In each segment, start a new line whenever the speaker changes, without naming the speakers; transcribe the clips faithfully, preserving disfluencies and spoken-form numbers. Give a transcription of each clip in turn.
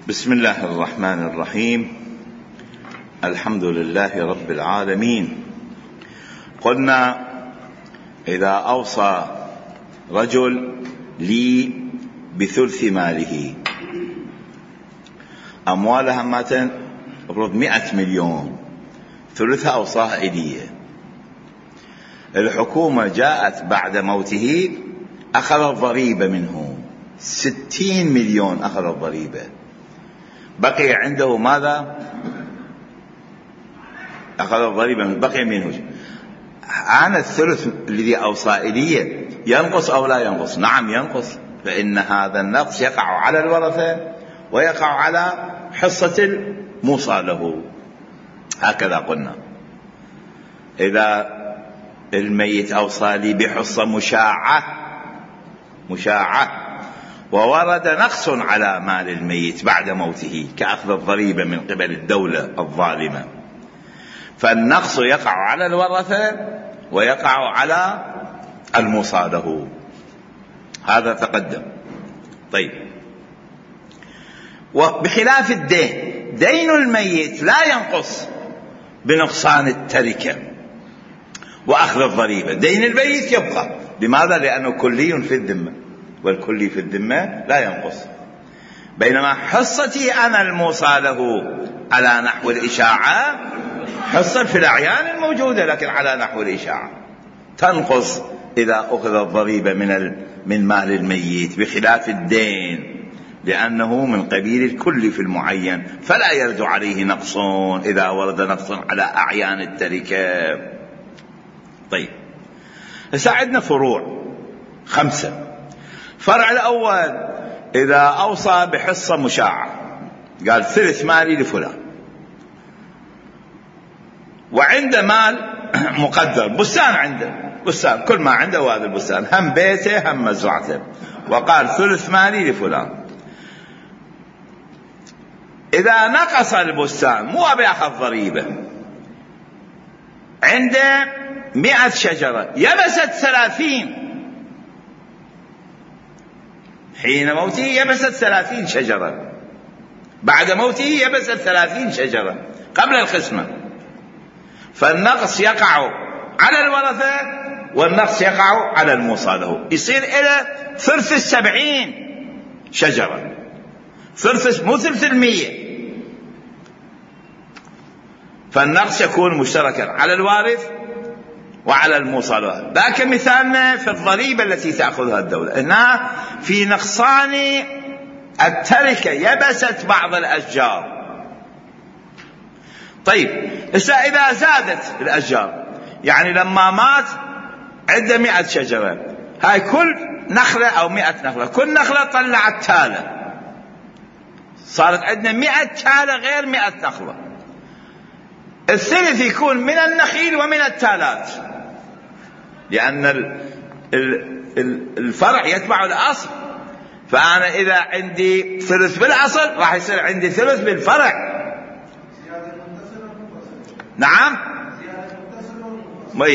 بسم الله الرحمن الرحيم. الحمد لله رب العالمين. قلنا إذا أوصى رجل لي بثلث ماله، أموالها ماتن أفرض مئة مليون، ثلثها أوصاها إلي. الحكومة جاءت بعد موته أخذت ضريبة منه ستين مليون، أخذت ضريبة، بقي عنده ماذا؟ أخذ الضريبة من بقي منه. عن الثلث الذي أوصى إليه ينقص أو لا ينقص؟ نعم ينقص، فإن هذا النقص يقع على الورثة ويقع على حصة الموصى له. هكذا قلنا. إذا الميت أوصى لي بحصة مشاعة مشاعة وورد نقص على مال الميت بعد موته كأخذ الضريبة من قبل الدولة الظالمة، فالنقص يقع على الورثة ويقع على الموصى له. هذا تقدم. طيب، وبخلاف الدين، دين الميت لا ينقص بنقصان التركة وأخذ الضريبة، دين الميت يبقى. لماذا؟ لأنه كلي في الذمة، والكلي في الذمة لا ينقص. بينما حصتي أنا الموصى له على نحو الإشاعة حصة في الأعيان الموجودة، لكن على نحو الإشاعة تنقص إذا أخذ الضريبة من من مال الميت، بخلاف الدين لأنه من قبيل الكل في المعين، فلا يرد عليه نقص إذا ورد نقص على أعيان التركة. طيب، ساعدنا فروع خمسة. فرع الأول، إذا أوصى بحصة مشاعة، قال ثلث مالي لفلان، وعنده مال مقدر، بستان عنده، بستان كل ما عنده هو هذا البستان، هم بيته هم مزرعته، وقال ثلث مالي لفلان. إذا نقص البستان مو أبي أخذ ضريبة، عنده مئة شجرة يبست ثلاثين، حين موته يبست ثلاثين شجرة، بعد موته يبست ثلاثين شجرة قبل القسمة، فالنقص يقع على الورثة والنقص يقع على الموصى له، يصير إلى ثلث السبعين شجرة، ثلث مو ثلث المية، فالنقص يكون مشتركا على الوارث وعلى الموصى له. ذاك مثالنا في الضريبة التي تأخذها الدولة، هنا في نقصان التركة، يبست بعض الأشجار. طيب، إذا زادت الأشجار، يعني لما مات عنده مئة شجرة، هاي كل نخلة أو مئة نخلة، كل نخلة طلعت تالة، صارت عندنا مئة تالة غير مئة نخلة. الثلث يكون من النخيل ومن التالات، لأن الفرع يتبع الأصل، فأنا إذا عندي ثلث بالأصل راح يصير عندي ثلث بالفرع. نعم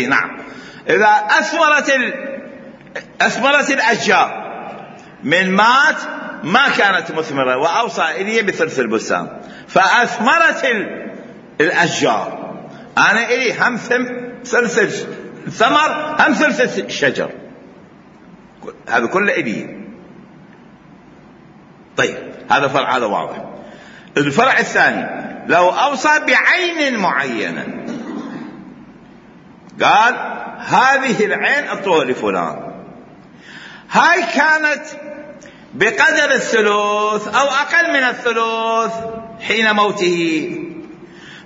نعم. إذا أثمرت أثمرت الأشجار، من مات ما كانت مثمرة وأوصى إلي بثلث البستان، فأثمرت الأشجار، أنا إلي هم ثلث الثمر هم ثلث الشجر، هذا كله إلي. طيب، هذا فرع، هذا واضح. الفرع الثاني، لو أوصى بعين معينة، قال هذه العين أعطوها لفلان، هاي كانت بقدر الثلث أو أقل من الثلث حين موته،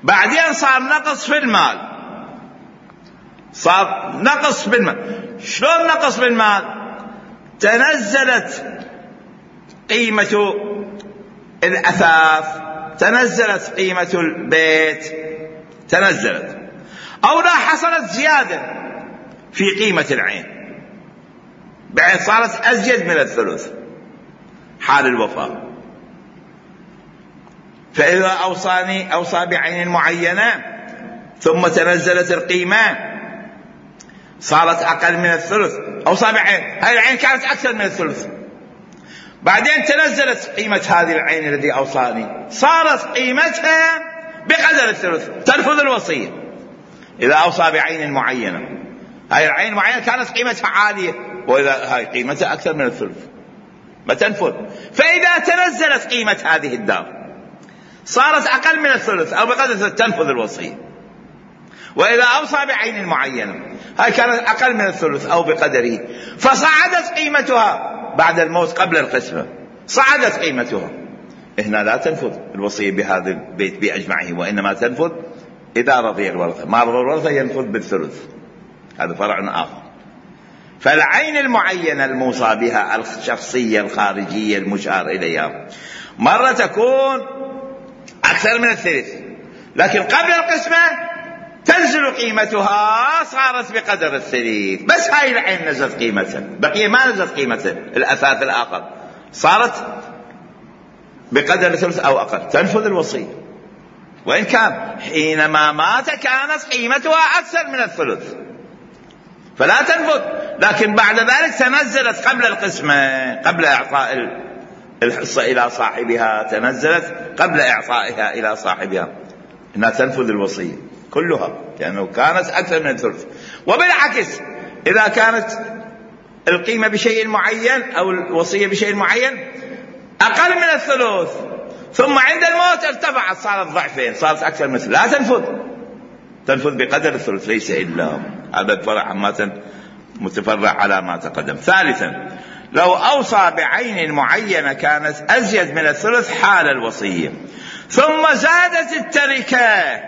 بعدين صار نقص في المال، صار نقص بالمال. شلون نقص بالمال؟ تنزلت قيمة الأثاث، تنزلت قيمة البيت، تنزلت، أو لا حصلت زيادة في قيمة العين، بعد صارت أزيد من الثلث حال الوفاة. فإذا أوصاني أوصى بعين معينة ثم تنزلت القيمة صارت أقل من الثلث، أوصى بعين، هاي العين كانت أكثر من الثلث، بعدين تنزلت قيمة هذه العين الذي أوصاني، صارت قيمتها بقدر الثلث، تنفذ الوصية. إذا أوصى بعين معينة، هاي العين المعينة كانت قيمتها عالية، وإذا هاي قيمتها أكثر من الثلث ما تنفذ. فإذا تنزلت قيمة هذه الدار صارت أقل من الثلث أو بقدر الثلث، تنفذ الوصية. وإذا أوصى بعين معينة، هاي كانت أقل من الثلث أو بقدره، فصعدت قيمتها بعد الموت قبل القسمة، صعدت قيمتها، هنا لا تنفذ الوصية بهذا البيت بأجمعه، وإنما تنفذ إذا رضي الورثة. ما رضي الورثة ينفذ بالثلث، هذا فرع آخر. فالعين المعينة الموصى بها الشخصية الخارجية المشار إليها مرة تكون أكثر من الثلث، لكن قبل القسمة تنزل قيمتها، صارت بقدر الثلث، بس هاي العين نزلت قيمتها، بقية ما نزلت قيمتها الأثاث الآخر، صارت بقدر الثلث أو أقل، تنفذ الوصية. وإن كان حينما مات كانت قيمتها أكثر من الثلث فلا تنفذ، لكن بعد ذلك تنزلت قبل القسمة، قبل إعطاء الحصة إلى صاحبها، تنزلت قبل إعطائها إلى صاحبها، إنها تنفذ الوصية كلها لأنه كانت أكثر من الثلث. وبالعكس إذا كانت القيمة بشيء معين أو الوصية بشيء معين أقل من الثلث، ثم عند الموت ارتفعت صارت ضعفين، صارت أكثر من الثلث، لا تنفذ، تنفذ بقدر الثلث، ليس إلا هذا الفرع عامة متفرع على ما تقدم. ثالثا، لو أوصى بعين معينة كانت أزيد من الثلث حال الوصية، ثم زادت التركة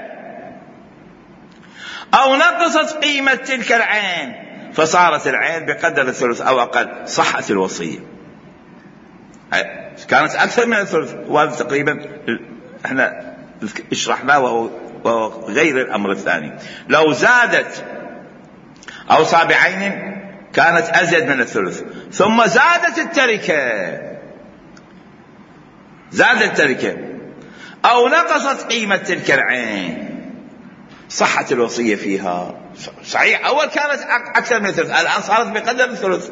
أو نقصت قيمة تلك العين فصارت العين بقدر الثلث أو أقل، صحت الوصية. كانت أكثر من الثلث، وهذا تقريبا احنا اشرحناه وهو, وهو غير الأمر الثاني. لو زادت أوصى بعين كانت أزيد من الثلث، ثم زادت التركة زادت التركة أو نقصت قيمة تلك العين، صحت الوصية فيها. صحيح أول كانت أكثر من الثلث، الآن صارت بقدر الثلث.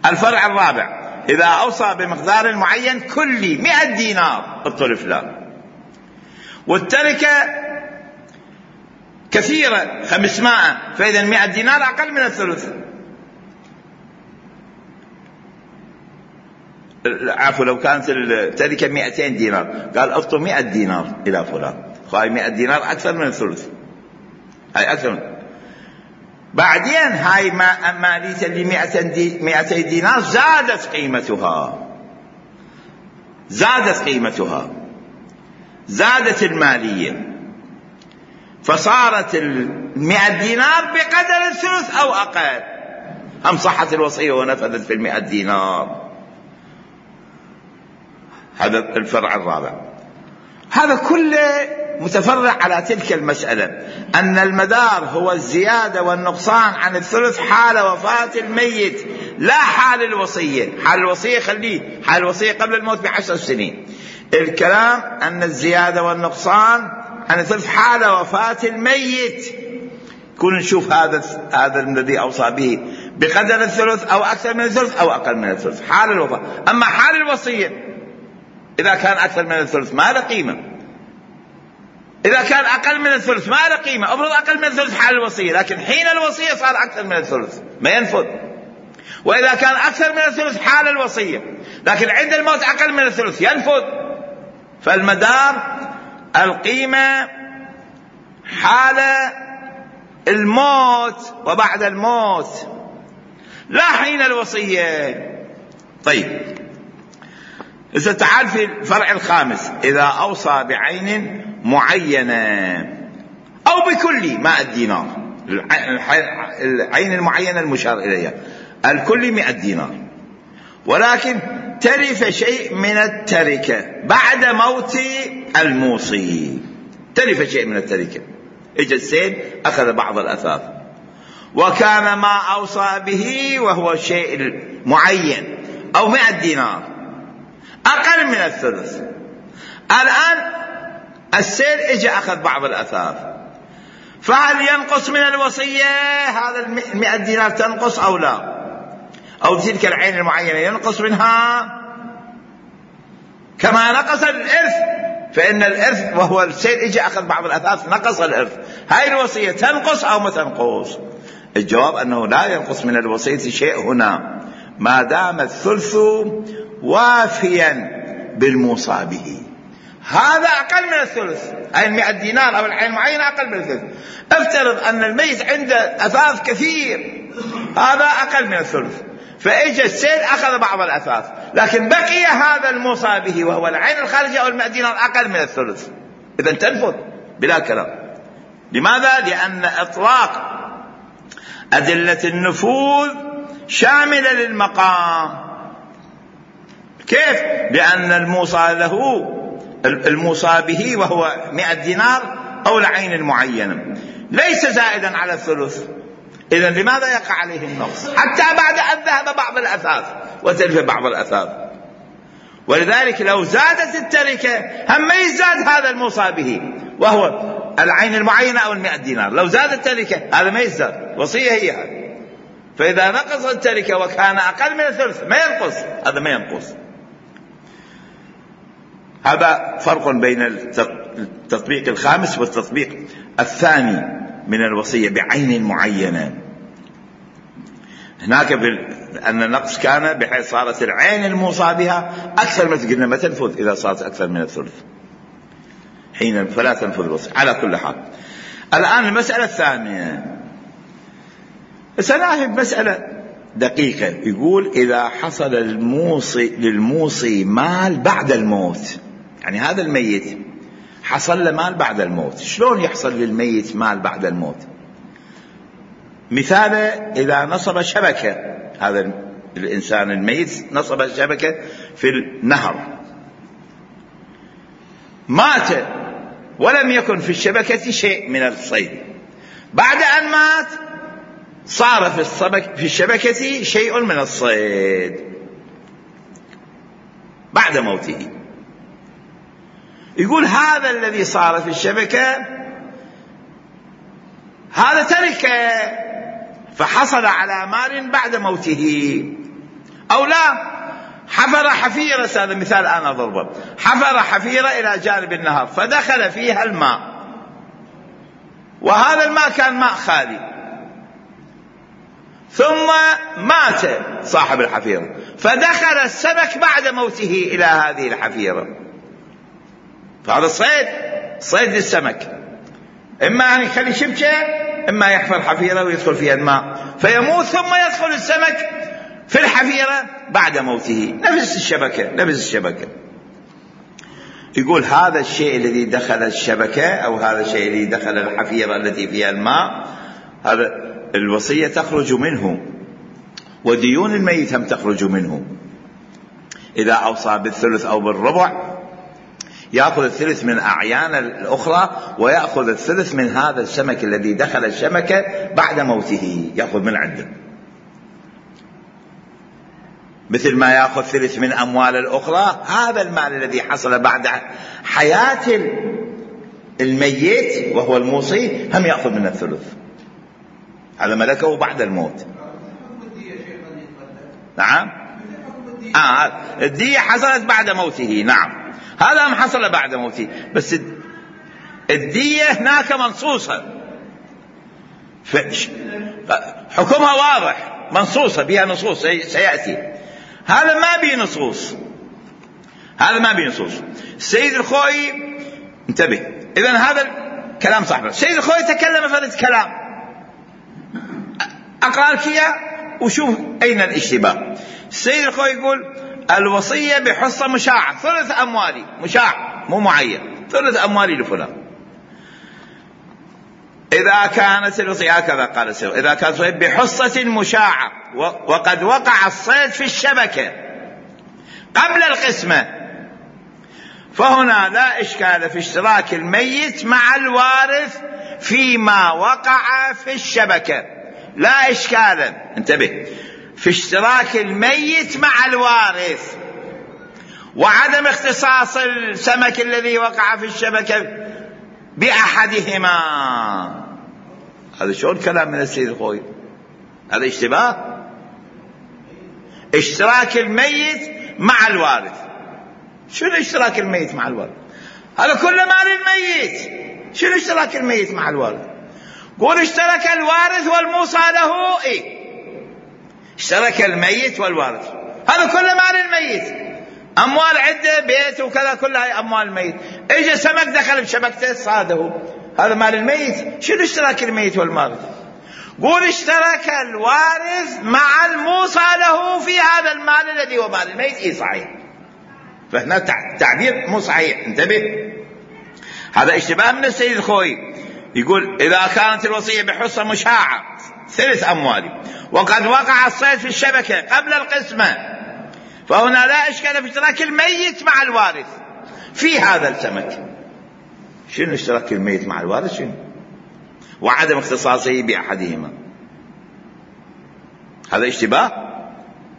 الفرع الرابع، إذا أوصى بمقدار معين كلي مئة دينار الطرف لا، والتركة كثيرة خمسمائة، فإذا مئة دينار أقل من الثلث. عفوا لو كانت التركة مئتين دينار، قال أعطوا مئة دينار إلى فلان، هاي مئة دينار أكثر من الثلث، هاي أكثر من. بعدين هاي ما مالية اللي مئتين دينار زادت قيمتها، زادت قيمتها زادت المالية، فصارت المئة دينار بقدر الثلث أو أقل، هم صحت الوصية ونفذت في المئة دينار. هذا الفرع الرابع. هذا كله متفرع على تلك المسألة، أن المدار هو الزيادة والنقصان عن الثلث حال وفاة الميت، لا حال الوصية. حال الوصية خليه، حال الوصية قبل الموت بعشر سنين. الكلام أن الزيادة والنقصان عن الثلث حال وفاة الميت، كون نشوف هذا هذا الذي أوصى به بقدر الثلث أو أكثر من الثلث أو أقل من الثلث، حال الوفاة. أما حال الوصية إذا كان أكثر من الثلث ما له قيمة، إذا كان أقل من الثلث ما له قيمة. أفرض أقل من الثلث حال الوصية، لكن حين الوصية صار أكثر من الثلث ما ينفذ. وإذا كان أكثر من الثلث حال الوصية، لكن عند الموت أقل من الثلث ينفذ. فالمدار القيمة حال الموت وبعد الموت، لا حين الوصية. طيب إذا تعال في الفرع الخامس، إذا أوصى بعين معينة أو بكل مائة دينار، العين المعينة المشار إليها الكل مائة دينار، ولكن تلف شيء من التركة بعد موت الموصي، تلف شيء من التركة، اجى السيل أخذ بعض الأثاث، وكان ما أوصى به وهو الشيء المعين أو مائة دينار أقل من الثلث. الآن السيل اجى أخذ بعض الأثاث، فهل ينقص من الوصية هذا المئة دينار تنقص أو لا؟ أو تلك العين المعينة ينقص منها كما نقص الإرث، فإن الإرث وهو السيد اجى أخذ بعض الأثاث نقص الإرث. هاي الوصية تنقص أو ما تنقص؟ الجواب أنه لا ينقص من الوصية شيء هنا ما دام الثلث وافيا بالموصى به. هذا أقل من الثلث، أي المئة دينار أو العين المعينة أقل من الثلث. افترض أن الميت عنده أثاث كثير، هذا أقل من الثلث، فإجى السيد أخذ بعض الأثاث، لكن بقي هذا الموصى به وهو العين الخارجة أو المئة دينار أقل من الثلث، إذن تنفذ بلا كلام. لماذا؟ لأن إطلاق أدلة النفوذ شاملة للمقام. كيف؟ لأن الموصى له الموصى به وهو مئة دينار أو العين المعينة ليس زائدا على الثلث، إذن لماذا يقع عليه النقص حتى بعد أن ذهب بعض الأثاث وتلف بعض الأثاث؟ ولذلك لو زادت التركة هم ما يزداد هذا الموصى به وهو العين المعينة أو المئة دينار، لو زاد التركة هذا ما يزداد، وصية هي هذه. فإذا نقص التركة وكان أقل من الثلث ما ينقص، هذا ما ينقص. هذا فرق بين التطبيق الخامس والتطبيق الثاني من الوصية بعين معينة. هناك أن النقص كان بحيث صارت العين الموصى بها أكثر من قلنا ما تنفذ إذا صارت أكثر من الثلث، حين فلا تنفذ الوصية على كل حال. الآن المسألة الثانية، سنأخذ مسألة دقيقة. يقول إذا حصل الموصي للموصي مال بعد الموت، يعني هذا الميت حصل له مال بعد الموت، شلون يحصل للميت مال بعد الموت؟ مثاله إذا نصب شبكة، هذا الإنسان الميت نصب شبكة في النهر، مات ولم يكن في الشبكة شيء من الصيد، بعد أن مات صار في, الصبك في الشبكة شيء من الصيد بعد موته. يقول هذا الذي صار في الشبكة هذا تركه فحصل على مال بعد موته، أو لا حفر حفيرة، هذا مثال أنا أضربه، حفر حفيرة إلى جانب النهر فدخل فيها الماء، وهذا الماء كان ماء خالي، ثم مات صاحب الحفيرة فدخل السمك بعد موته إلى هذه الحفيرة، فهذا صيد صيد للسمك، إما أن يخلي شبكة إما يحفر حفيرة ويدخل فيها الماء فيموت ثم يدخل السمك في الحفيرة بعد موته، نفس الشبكة نفس الشبكة. يقول هذا الشيء الذي دخل الشبكة أو هذا الشيء الذي دخل الحفيرة التي فيها الماء، هذا الوصية تخرج منه، وديون الميت هم تخرج منه. إذا أوصى بالثلث أو بالربع يأخذ الثلث من أعيان الأخرى، ويأخذ الثلث من هذا السمك الذي دخل الشبكة بعد موته، يأخذ من عنده، مثل ما يأخذ ثلث من أموال الأخرى. هذا المال الذي حصل بعد حياة الميت وهو الموصي هم يأخذ من الثلث، هذا ملكه بعد الموت. نعم آه الدية حصلت بعد موته، نعم هذا هم حصل بعد موته، بس الدية هناك منصوصة، حكمها واضح منصوصة بها نصوص سيأتي، هذا ما بيه نصوص، هذا ما بيه نصوص. السيد الخوئي انتبه، إذن هذا الكلام صحيح. السيد الخوئي تكلم فرد كلام، أقرأ لك إياه وشوف أين الاشتباه. السيد الخوئي يقول الوصية بحصة مشاعة، ثلث أموالي مشاع مو معين، ثلث أموالي لفلان. إذا كانت الوصية هكذا قال السيد، إذا كانت بحصة مشاعة وقد وقع الصيد في الشبكة قبل القسمة، فهنا لا إشكال في اشتراك الميت مع الوارث فيما وقع في الشبكة، لا إشكال، انتبه، في اشتراك الميت مع الوارث، وعدم اختصاص السمك الذي وقع في الشبكة بأحدهما. هذا شو الكلام من السيد الخوئي؟ هذا اشتباه. اشتراك الميت مع الوارث شنو اشتراك الميت مع الوارث؟ هذا كله مال الميت. شنو اشتراك الميت مع الوارث؟ قول اشترك الوارث والموصى له. ايه اشترك الميت والوارث، هذا كله مال الميت، اموال عده، بيت وكذا، كلها هاي اموال الميت. اجى سمك دخل بشبكته صاده، هذا مال الميت. شنو اشتراك الميت والوارث؟ قول اشترك الوارث مع الموصى له في هذا المال الذي هو مال الميت. اي صحيح، فهنا تعبير مو صحيح، انتبه. هذا اشتباه من السيد الخوي. يقول إذا كانت الوصية بحصة مشاعة ثلث أموالي وقد وقع الصيد في الشبكة قبل القسمة، فهنا لا إشكال في اشتراك الميت مع الوارث في هذا السمك. شنو اشتراك الميت مع الوارث؟ شنو؟ وعدم اختصاصه بأحدهما. هذا اشتباه،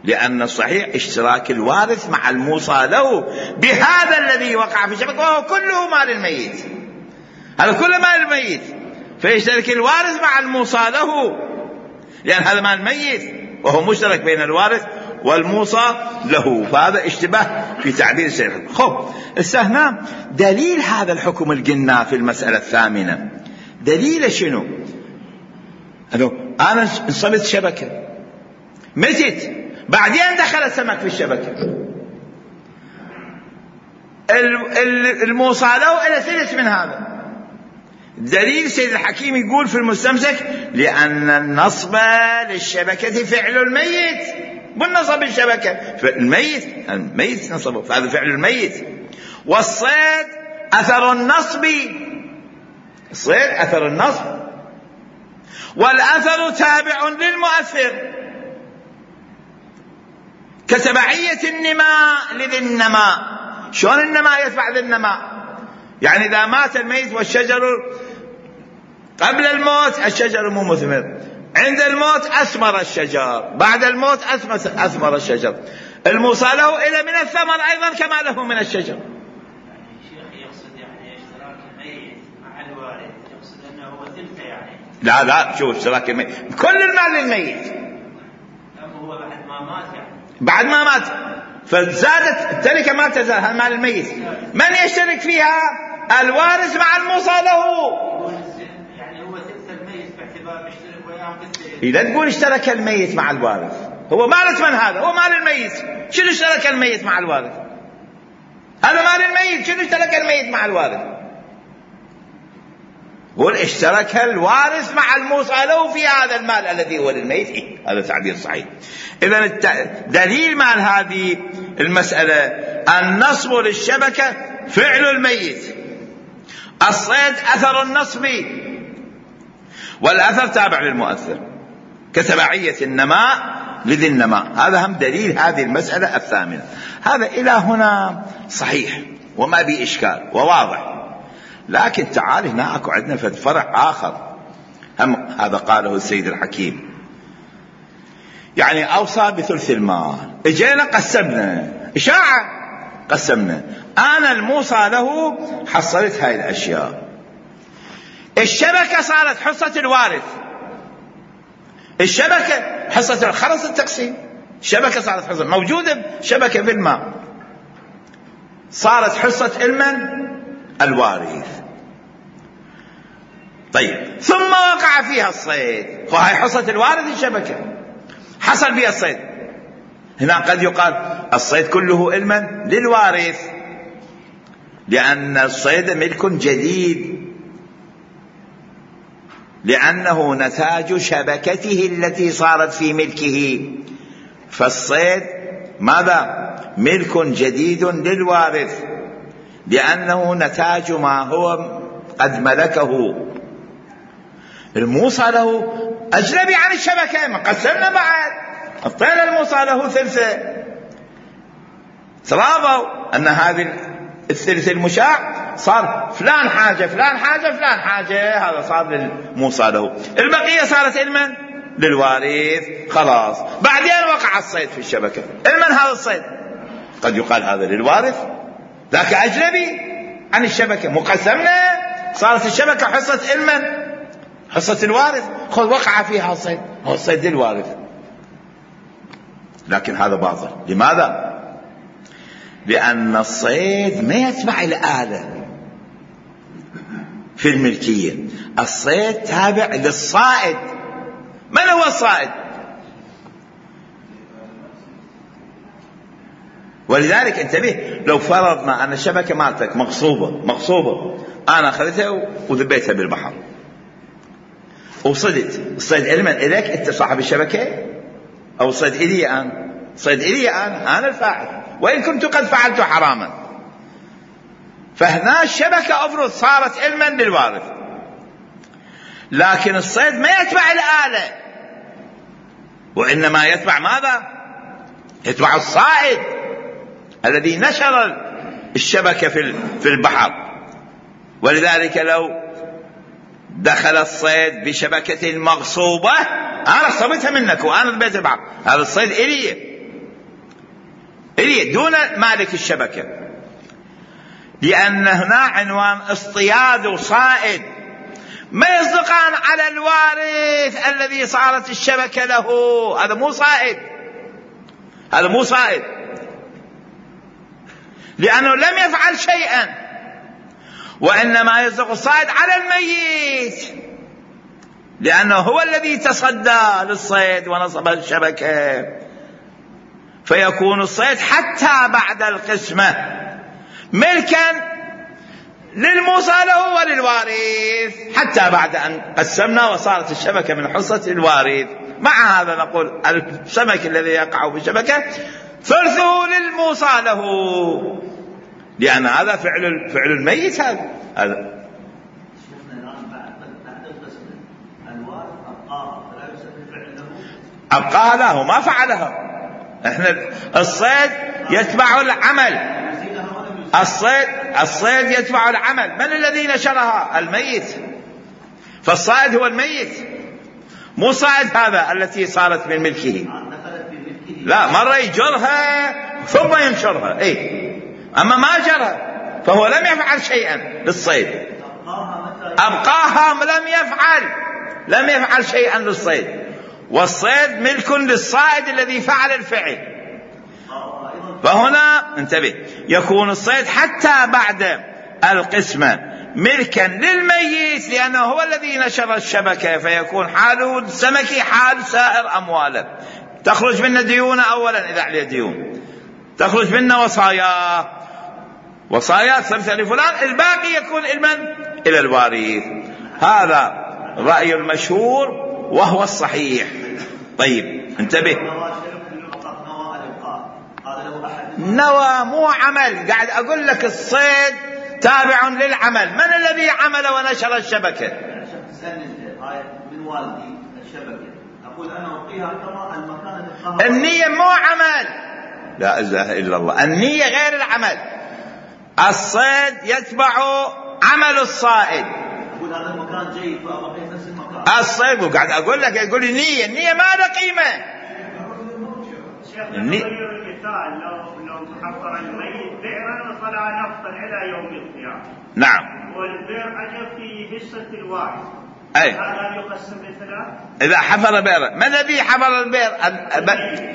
لأن الصحيح اشتراك الوارث مع الموصى له بهذا الذي وقع في الشبكة، وهو كله مال الميت. هذا كله مال الميت، فيشترك الوارث مع الموصى له، لأن هذا مال الميت وهو مشترك بين الوارث والموصى له. فهذا اشتباه في تعبير الشيخ. خب هنا دليل هذا الحكم القلنا في المسألة الثامنة، دليل شنو؟ أنا انصبت شبكة، متت، بعدين دخل السمك في الشبكة، الموصى له إلى ثلث من هذا. دليل سيد الحكيم يقول في المستمسك لأن النصب للشبكة فعل الميت، بالنصب الشبكة فالميت الميت نصبه، فهذا فعل الميت. والصيد أثر النصب، الصيد أثر النصب، والأثر تابع للمؤثر كتبعية النماء لذي النماء. شلون النماء يتبع ذي النماء؟ يعني إذا مات الميت والشجر قبل الموت الشجر مو مثمر، عند الموت أثمر الشجر، بعد الموت أثمر الشجر، الموصى له إلى من الثمر أيضا كما له من الشجر.
يعني الشيخ يقصد يعني اشتراك الميت مع الوارث، يقصد أنه هو ثلثه يعني.
لا لا، شوف اشتراك الميت كل المال للميت،
أما هو بعد ما مات يعني. بعد
ما مات فزادت التركة ما تزال، هذا مال الميت. من يشترك فيها؟ الوارث مع الموصى له.
يعني هو ثلث الميت باعتبار يشترك وياهم بالثلث.
إذا تقول اشترك الميت مع الوارث، هو مالت من هذا؟ هو مال الميت. شنو اشترك الميت مع الوارث؟ هذا مال الميت، شنو اشترك الميت مع الوارث؟ قول اشترك الوارث مع الموصى له في هذا المال الذي هو للميت. إيه؟ هذا تعبير صحيح. إذا دليل مال هذه المسألة النصب للشبكة فعل الميت، الصيد أثر النصب، والأثر تابع للمؤثر كتبعية النماء لذي النماء. هذا هم دليل هذه المسألة الثامنة. هذا إلى هنا صحيح وما بي إشكال وواضح. لكن تعال هنا أكو عندنا فرع آخر هم هذا قاله السيد الحكيم، يعني أوصى بثلث المال، اجينا قسمنا إشاعة، قسمنا أنا الموصى له حصلت هاي الأشياء، الشبكة صارت حصة الوارث، الشبكة حصة خلص التقسيم، الشبكة صارت حصة موجودة، شبكة في الماء صارت حصة المن؟ الوارث. طيب ثم وقع فيها الصيد، وهي حصة الوارث الشبكة حصل فيها الصيد. هنا قد يقال الصيد كله علما للوارث، لأن الصيد ملك جديد، لأنه نتاج شبكته التي صارت في ملكه، فالصيد ماذا؟ ملك جديد للوارث، لأنه نتاج ما هو قد ملكه. الموصى له أجنبي عن الشبكة، ما قسمنا بعد، أعطينا الموصى له ثلثة، تراضوا أن هذه الثلث المشاع صار فلان حاجة فلان حاجة فلان حاجة، هذا صار للموصى له، البقية صارت المن؟ للوارث. خلاص بعدين وقع الصيد في الشبكة، المن هذا الصيد؟ قد يقال هذا للوارث، ذاك أجنبي عن الشبكة، مقسمنا صارت الشبكة حصة المن؟ حصة الوارث. خذ وقع فيها الصيد، هو الصيد للوارث. لكن هذا باطل. لماذا؟ لأن الصيد ما يتبع الآلة في الملكية، الصيد تابع للصائد. من هو الصائد؟ ولذلك انتبه، لو فرضنا أن الشبكة مالتك مغصوبة مغصوبة أنا أخذتها وذبيتها بالبحر وصدت، الصيد إلمن إليك أنت صاحب الشبكة أو الصيد إلي أنا؟ الصيد إلي أنا، أنا الفاعل وإن كنت قد فعلت حراما. فهنا الشبكة أفرض صارت علما للوارث، لكن الصيد ما يتبع الآلة وإنما يتبع ماذا؟ يتبع الصائد الذي نشر الشبكة في البحر. ولذلك لو دخل الصيد بشبكة مغصوبة أنا صبتها منك وأنا ذبيت البحر، هذا الصيد إلي إلي دون مالك الشبكة، لأن هنا عنوان اصطياد وصائد ما يصدقان على الوارث الذي صارت الشبكة له. هذا مو صائد، هذا مو صائد لأنه لم يفعل شيئا، وإنما يصدق الصائد على الميت لأنه هو الذي تصدى للصيد ونصب الشبكة. فيكون الصيد حتى بعد القسمة ملكا للموصى له وللوارث، حتى بعد أن قسمنا وصارت الشبكة من حصة الوارث. مع هذا نقول السمك الذي يقع في الشبكة ثلثه للموصى له، لأن هذا فعل فعل الميت. هذا هذا أبقاها له ما فعلها. احنا الصيد يتبع العمل، الصيد الصيد يتبع العمل. من الذي نشرها؟ الميت. فالصائد هو الميت، مو صائد هذا التي صارت من ملكه، لا مرة يجرها ثم ينشرها اي، اما ما جرها فهو لم يفعل شيئا للصيد، ابقاها لم يفعل لم يفعل شيئا للصيد، والصيد ملك للصائد الذي فعل الفعل. فهنا انتبه، يكون الصيد حتى بعد القسمة ملكا للميت لأنه هو الذي نشر الشبكة، فيكون حاله السمك حال سائر أمواله. تخرج منا ديونه أولا إذا عليه ديون، تخرج منا وصايا وصايا ثلث لفلان، الباقي يكون علما إلى الوارث. هذا رأي المشهور وهو الصحيح. طيب انتبه، نوى مو عمل، قاعد أقول لك الصيد تابع للعمل. من الذي عمل ونشر الشبكة؟
من والدي الشبكة، أقول أنا أعطيها كما المكان.
النية مو عمل، لا إله إلا الله، النية غير العمل. الصيد يتبع عمل الصائد.
أقول هذا المكان جيد فأعطيه نفس المكان.
الصيد وقاعد أقول لك يقول النية، النية ما له قيمة.
النية لو لو حفر الميت بئرا وطلع نفطا إلى يوم القيامة.
نعم.
والبئر أجب في حصة الوارث.
أي.
هذا يقسم لثلاث.
إذا حفر بئرا، من الذي حفر البئر؟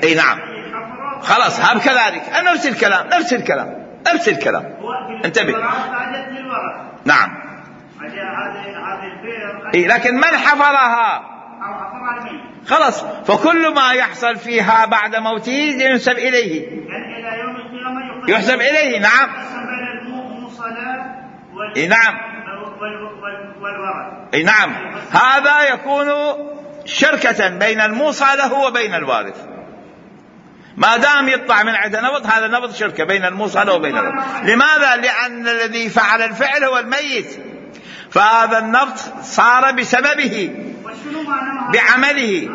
أي نعم. خلاص هم كذلك، نفس الكلام نفس الكلام نفس الكلام. انتبه. نعم.
هذه البئر.
إيه لكن من حفرها؟ خلاص، فكل ما يحصل فيها بعد موته ينسب إليه.
يعني إلى يوم القيامة
يحسب إليه. نعم. اي نعم. اي نعم. هذا يكون شركة بين الموصى له وبين الوارث، ما دام يطلع من عند نبض، هذا نبض شركة بين الموصى له وبين الوارث. لماذا؟ لأن الذي فعل الفعل هو الميت، فهذا النبض صار بسببه بعمله.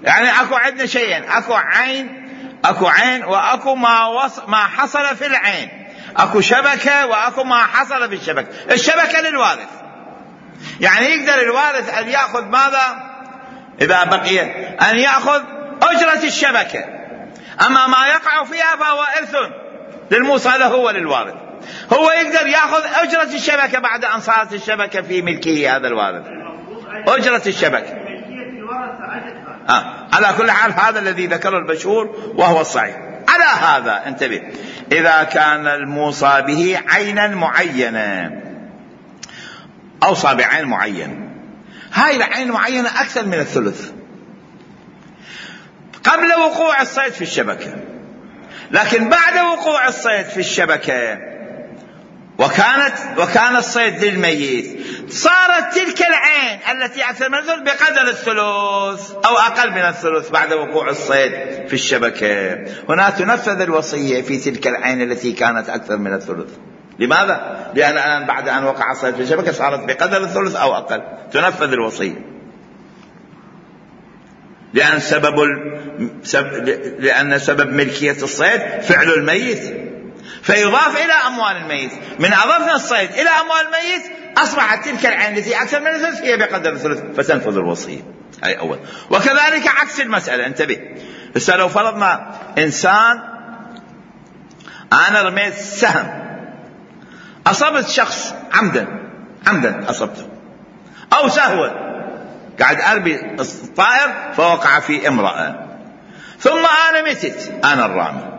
يعني اكو عندنا شيئين، اكو عين اكو عين واكو ما وص... ما حصل في العين، اكو شبكة واكو ما حصل في الشبكة. الشبكة للوارث، يعني يقدر الوارث ان يأخذ ماذا اذا بقي، ان يأخذ اجرة الشبكة، اما ما يقع فيها فهو ارث للموصى له وللوارث. هو يقدر يأخذ اجرة الشبكة بعد ان صارت الشبكة في ملكه هذا الوارث، اجرة الشبكة. آه. على كل حال هذا الذي ذكره البشور وهو الصحيح. على هذا انتبه، إذا كان الموصى به عينا معينة، أوصى بعين معين، هاي العين معينة أكثر من الثلث قبل وقوع الصيد في الشبكة، لكن بعد وقوع الصيد في الشبكة وكانت وكان الصيد للميت، صارت تلك العين التي أكثر من الثلث بقدر الثلث أو أقل من الثلث بعد وقوع الصيد في الشبكة. هنا تنفذ الوصية في تلك العين التي كانت أكثر من الثلث. لماذا؟ لأن الآن بعد أن وقع الصيد في الشبكة صارت بقدر الثلث أو أقل، تنفذ الوصية. لأن سبب سب... لأن سبب ملكية الصيد فعل الميت، فيضاف إلى أموال الميت. من أضفنا الصيد إلى أموال الميت أصبحت تلك العين التي أكثر من الثلث هي بقدر الثلث، فتنفذ الوصية. هاي أول. وكذلك عكس المسألة، انتبه. بس لو فرضنا إنسان، أنا رميت سهم، أصبت شخص عمدا عمدا أصبته، أو سهوا قاعد أربي الطائر فوقع في امرأة، ثم أنا متت، أنا الرامي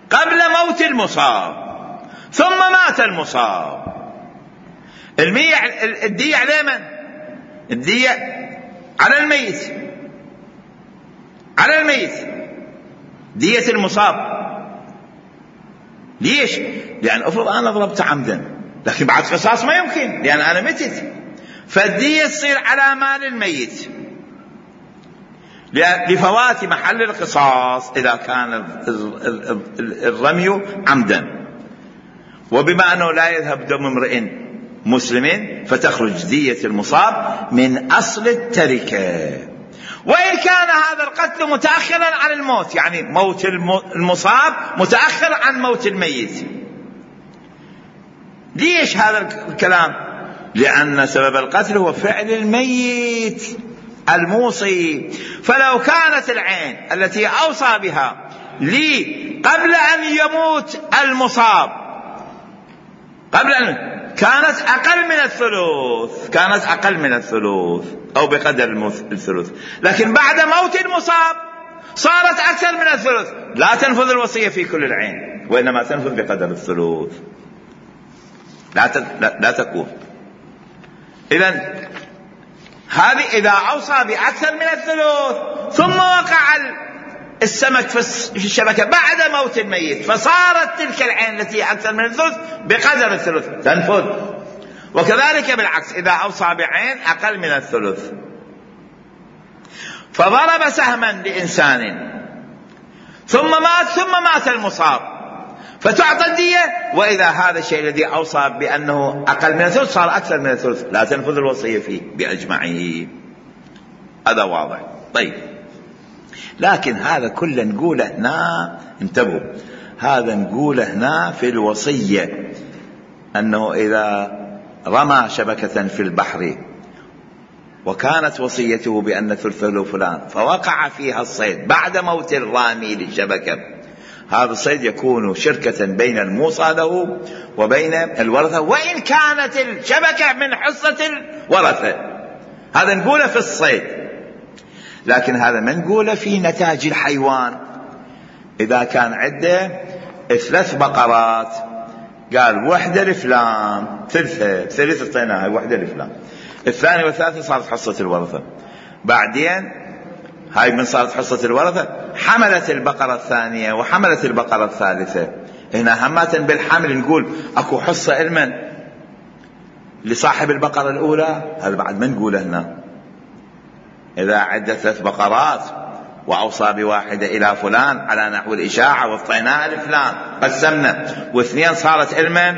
قبل موت المصاب، ثم مات المصاب. المية الدية على من؟ الدية على الميت، على الميت دية المصاب. ليش؟ لأن أفرض أنا ضربت عمدا، لكن بعد قصاص ما يمكن لأن أنا متت، فالدية تصير على مال الميت لفوات محل القصاص إذا كان الرمي عمدا. وبما أنه لا يذهب دم امرئ مسلم فتخرج دية المصاب من أصل التركة. وإن كان هذا القتل متأخرا عن الموت، يعني موت المصاب متأخر عن موت الميت. ليش هذا الكلام؟ لأن سبب القتل هو فعل الميت الموصي. فلو كانت العين التي أوصى بها لي قبل أن يموت المصاب، قبل أن كانت أقل من الثلث، كانت أقل من الثلث أو بقدر الثلث، لكن بعد موت المصاب صارت أكثر من الثلث، لا تنفذ الوصية في كل العين، وإنما تنفذ بقدر الثلث، لا لا, لا تكون. إذن هذه إذا أوصى بأكثر من الثلث ثم وقع السمك في الشبكة بعد موت الميت، فصارت تلك العين التي أكثر من الثلث بقدر الثلث، تنفذ. وكذلك بالعكس، إذا أوصى بعين أقل من الثلث فضرب سهما لإنسان ثم مات ثم مات المصاب فتعطى الدية، وإذا هذا الشيء الذي أوصى بأنه أقل من الثلث صار أكثر من الثلث، لا تنفذ الوصية فيه بأجمعه. هذا واضح. طيب، لكن هذا كله نقوله هنا، انتبهوا، هذا نقوله هنا في الوصية، أنه إذا رمى شبكة في البحر وكانت وصيته بأن ثلثه فلان فوقع فيها الصيد بعد موت الرامي للشبكة، هذا الصيد يكون شركة بين الموصى له وبين الورثة، وإن كانت الشبكة من حصة الورثة. هذا نقوله في الصيد. لكن هذا ما نقوله في نتاج الحيوان. إذا كان عنده ثلاث بقرات، قال وحدة لفلان، ثلثة ثلثة طيناها، وحدة لفلان، الثانية والثالثة صارت حصة الورثة. بعدين هاي من صارت حصة الورثة حملت البقرة الثانية وحملت البقرة الثالثة. هنا همات بالحمل نقول أكو حصة المن لصاحب البقرة الأولى، هذا بعد ما نقوله هنا. إذا عدت ثلاث بقرات وأوصى بواحدة إلى فلان على نحو الإشاعة واعطيناها لفلان، قسمنا، واثنين صارت المن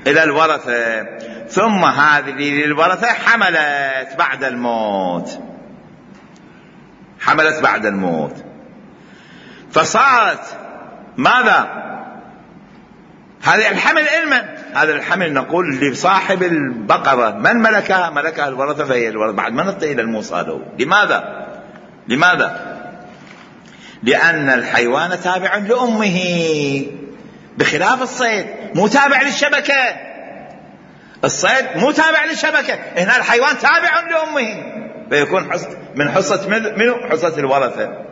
إلى الورثة، ثم هذه للورثة حملت بعد الموت، حملت بعد الموت، فصارت ماذا؟ هذا الحمل علما، هذا الحمل نقول لصاحب البقرة من ملكها؟ ملكها الورثة، فهي الورثة بعد ما نعطي إلى الموصى له. لماذا؟ لماذا؟ لأن الحيوان تابع لأمه، بخلاف الصيد مو تابع للشبكة. الصيد مو تابع للشبكة، هنا الحيوان تابع لأمه، فيكون من حصة منه حصة الورثة.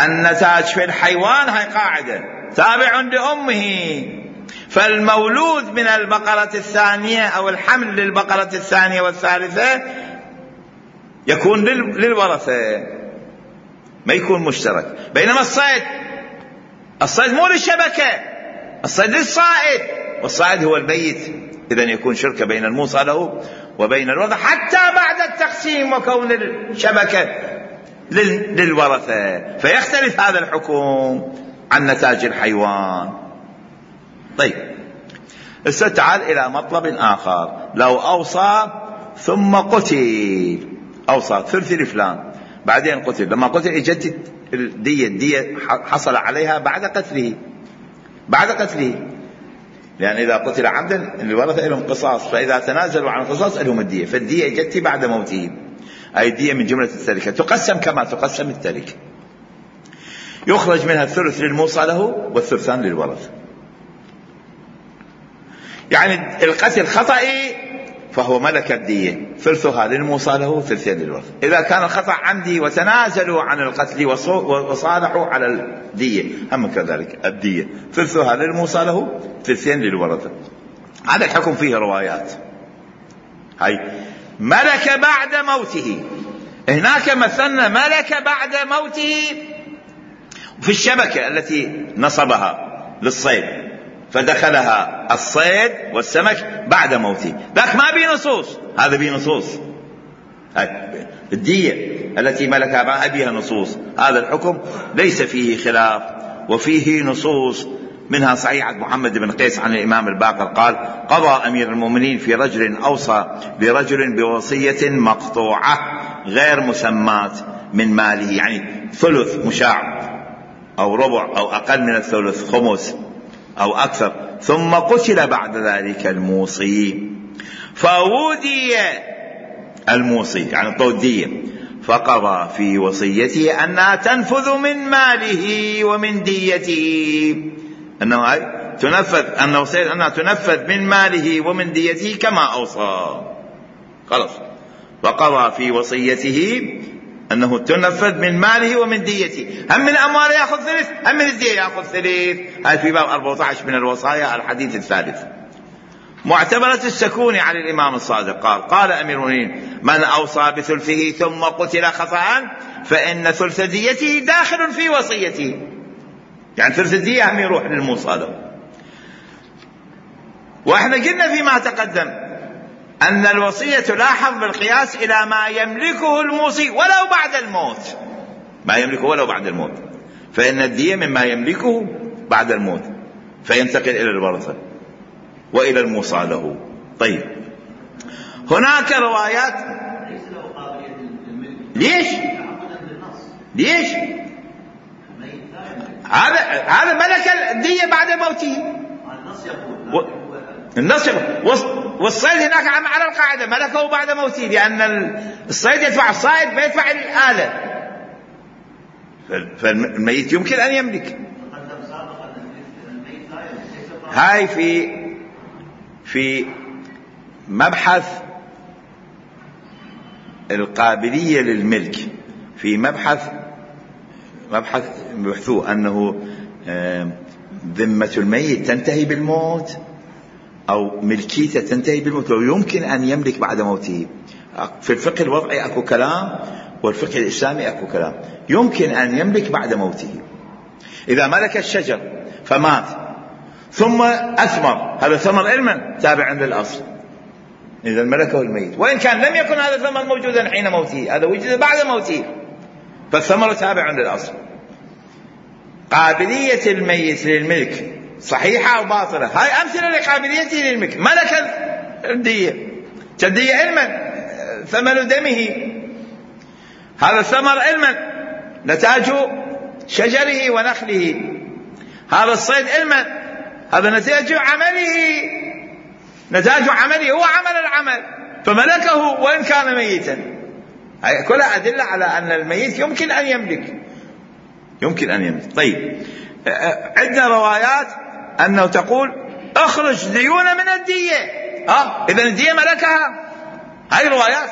النتاج في الحيوان هاي قاعدة تابع لأمه، فالمولود من البقرة الثانية أو الحمل للبقرة الثانية والثالثة يكون للورثة، ما يكون مشترك. بينما الصيد الصيد مو للشبكة، الصيد للصائد، والصائد هو الميت، إذن يكون شركة بين الموصى له وبين الورثة حتى بعد التقسيم وكون الشبكة للورثة، فيختلف هذا الحكم عن نتاج الحيوان. طيب هسه تعال إلى مطلب آخر. لو أوصى ثم قتل، أوصى ثلث لفلان بعدين قتل، لما قتل اجت الدية، الدية حصل عليها بعد قتله، بعد قتله، لأن إذا قتل عمدا الورثة لهم قصاص، فإذا تنازلوا عن القصاص لهم الدية، فالدية اجت بعد موته. أي الدية من جملة التركة تقسم كما تقسم التركة، يخرج منها الثلث للموصى له والثلثان للورثة. يعني القتل خطئي فهو ملك الدية، ثلثها للموصى له ثلثين للورثة. إذا كان الخطأ عمدي وتنازلوا عن القتل وصالحوا على الدية هم كذلك الدية ثلثها للموصى له ثلثين للورثة. هذا الحكم فيه روايات. هاي ملك بعد موته، هناك مثلنا ملك بعد موته في الشبكة التي نصبها للصيد، فدخلها الصيد والسمك بعد موته، ذاك ما بي نصوص، هذا بي نصوص. الدية التي ملكها ما بيها نصوص، هذا الحكم ليس فيه خلاف وفيه نصوص، منها صحيحة محمد بن قيس عن الإمام الباقر قال: قضى أمير المؤمنين في رجل أوصى برجل بوصية مقطوعة غير مسماة من ماله، يعني ثلث مشاع أو ربع أو أقل من الثلث، خمس أو أكثر، ثم قتل بعد ذلك الموصي، فودي الموصي يعني الطودية، فقضى في وصيته أنها تنفذ من ماله ومن ديته، أنه تنفذ أن وصيته أنها تنفذ من ماله ومن ديته كما أوصى، خلاص. وقضى في وصيته أنه تنفذ من ماله ومن ديته، هم من أمواله يأخذ ثلث، هم من الدية يأخذ ثلث. هاي في باب أربعة عشر من الوصايا الحديث الثالث. معتبرة السكوني عن الإمام الصادق قال: قال أمير المؤمنين: من أوصى بثلثه ثم قتل خطأ فإن ثلث ديته داخل في وصيته، يعني ثلث الدية هم يروح للموصى له. وإحنا قلنا فيما تقدم أن الوصية تلاحظ بالقياس إلى ما يملكه الموصي ولو بعد الموت، ما يملكه ولو بعد الموت، فإن الدية مما يملكه بعد الموت، فينتقل إلى الورثة وإلى الموصى له. طيب هناك روايات
ليس له قابلية للملك.
ليش؟ ليش؟ هذا هذا ملك الدية بعد موته.
النص يقول
و... النص يقول والصيد هناك على القاعدة ملكه بعد موته، لأن الصيد يدفع الصائد ما يدفع الآلة، فالميت يمكن أن يملك. هاي في في مبحث القابلية للملك، في مبحث مبحث بحثوه أنه ذمة الميت تنتهي بالموت أو ملكيته تنتهي بالموت، لو يمكن أن يملك بعد موته. في الفقه الوضعي أكو كلام، والفقه الإسلامي أكو كلام. يمكن أن يملك بعد موته إذا ملك الشجر فمات ثم أثمر، هذا ثمر علما تابع للأصل، إذا ملكه الميت، وإن كان لم يكن هذا الثمر موجودا حين موته، هذا وجد بعد موته، فالثمر تابع للأصل. قابلية الميت للملك صحيحة أو باطلة؟ هاي أمثلة لقابليته للملك. ملك الدية، الدية علما ثمن دمه، هذا الثمر علما نتاج شجره ونخله، هذا الصيد علما هذا نتاج عمله، نتاج عمله هو عمل العمل، فملكه وإن كان ميتا. هاي كلها أدلة على أن الميت يمكن أن يملك، يمكن أن يملك. طيب عندنا روايات أنه تقول اخرج ديون من الدية، آه إذن الدية ملكها، هاي روايات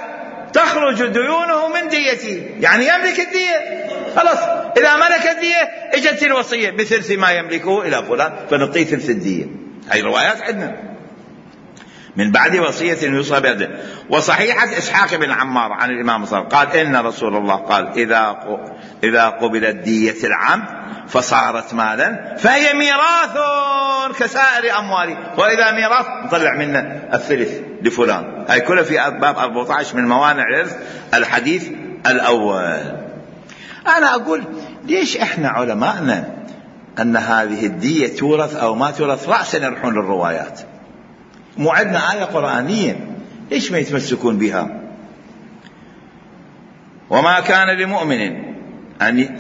تخرج ديونه من ديته، يعني يملك الدية خلاص. إذا ملك الدية اجت الوصية بثلث ما يملكه إلى فلان فنعطيه ثلث الدية. هاي روايات عندنا من بعد وصية يوصى بها. وصحيحة إسحاق بن عمار عن الإمام صلى الله عليه وسلم قال إن رسول الله قال إذا إذا قبلت دية العمد فصارت مالا فهي ميراث كسائر أمواله، وإذا ميراث نطلع منه الثلث لفلان. هاي كلها في باب أربعة عشر من موانع الإرث الحديث الأول. أنا أقول ليش إحنا علماءنا أن هذه الدية تورث أو ما تورث رأسا يروحون للروايات؟ مو عندنا آية قرآنية، ليش ما يتمسكون بها؟ وما كان لمؤمن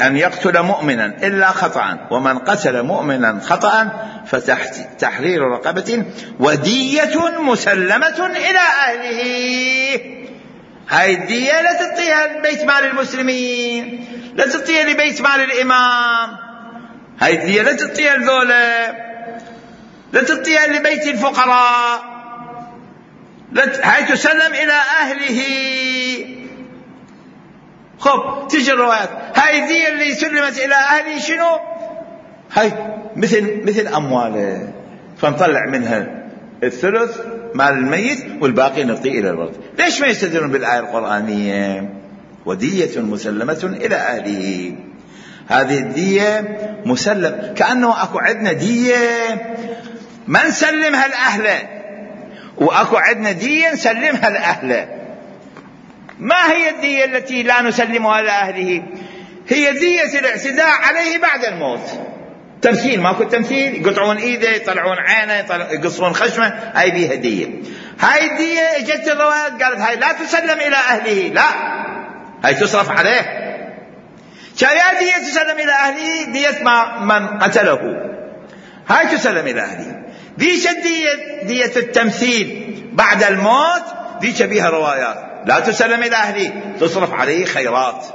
أن يقتل مؤمنا إلا خطأ، ومن قتل مؤمنا خطأ فتحرير رقبة ودية مسلمة إلى أهله. هاي الدية لا تعطيها لبيت مال المسلمين، لا تعطيها لبيت مال الإمام، هاي الدية لا تعطيها لذولا، لا تعطيها لبيت الفقراء، هاي تسلم إلى أهله. خب تجي الروايات هاي الدية اللي سلمت إلى أهله شنو؟ هاي مثل مثل أمواله، فنطلع منها الثلث مال الميت والباقي نعطيه إلى الورثة. ليش ما يستدلون بالآية القرآنية ودية مسلمة إلى أهله؟ هذه الدية مسلم، كأنه أكو عندنا دية ما نسلمها الأهل وأكو عندنا دية نسلمها الأهل. ما هي الدية التي لا نسلمها لأهله؟ هي دية الاعتداء عليه بعد الموت. تمثيل، ماكو تمثيل، يقطعون ايده، يطلعون عينه، يقصون خشمه، هاي بيها دية. هاي الدية اجت الروايات قالت هاي لا تسلم إلى أهله، لا هاي تصرف عليه. شايا دية تسلم إلى أهله دية ما من قتله، هاي تسلم إلى أهله. ديش الدية دية التمثيل بعد الموت ديش بيها روايات لا تسلم إلى أهله، تصرف عليه خيرات.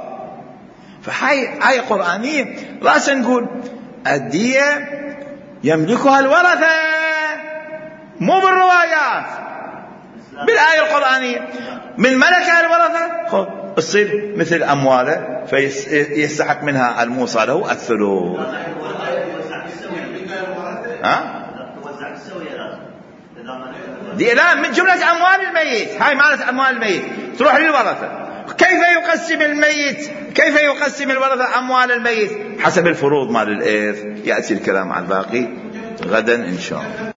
فهاي آية قرآنية. رأسا نقول الدية يملكها الورثة مو بالروايات، بالآية القرآنية. من ملكها الورثة خب تصير مثل أمواله فيستحق منها الموصى له الثلث. ها؟ دي لا من جملة أموال الميت، هاي مالت أموال الميت تروح للورثة. كيف يقسم الميت، كيف يقسم الورثة أموال الميت؟ حسب الفروض مال الإرث. يأتي الكلام عن الباقي غدا إن شاء الله.